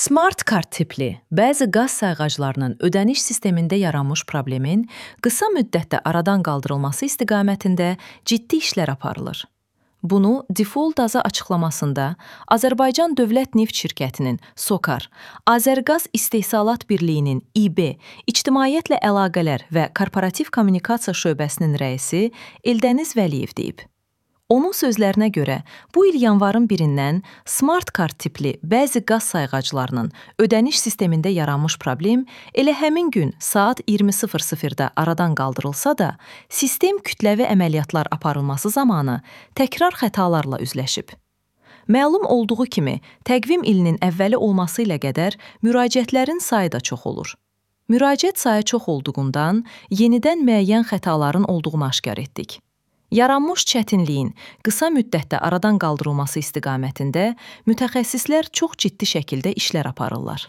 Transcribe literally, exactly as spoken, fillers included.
Smart kart tipli bəzi qaz sayğaclarının ödəniş sistemində yaranmış problemin qısa müddətdə aradan qaldırılması istiqamətində ciddi işlər aparılır. Bunu Default A Z A açıqlamasında Azərbaycan Dövlət Neft Şirkətinin SOCAR, Azərqaz İstehsalat Birliyinin İ B, İctimaiyyətlə Əlaqələr və Korporativ Kommunikasiya şöbəsinin rəisi Eldəniz Vəliyev deyib. Onun sözlərinə görə, bu il yanvarın birindən Smart kart tipli bəzi qaz sayğaclarının ödəniş sistemində yaranmış problem elə həmin gün saat iyirmi sıfır sıfırda aradan qaldırılsa da, sistem kütləvi əməliyyatlar aparılması zamanı təkrar xətalarla üzləşib. Məlum olduğu kimi, təqvim ilinin əvvəli olması ilə qədər müraciətlərin sayı da çox olur. Müraciət sayı çox olduğundan yenidən müəyyən xətaların olduğunu aşkar etdik. Yaranmış çətinliyin qısa müddətdə aradan qaldırılması istiqamətində mütəxəssislər çox ciddi şəkildə işlər aparırlar.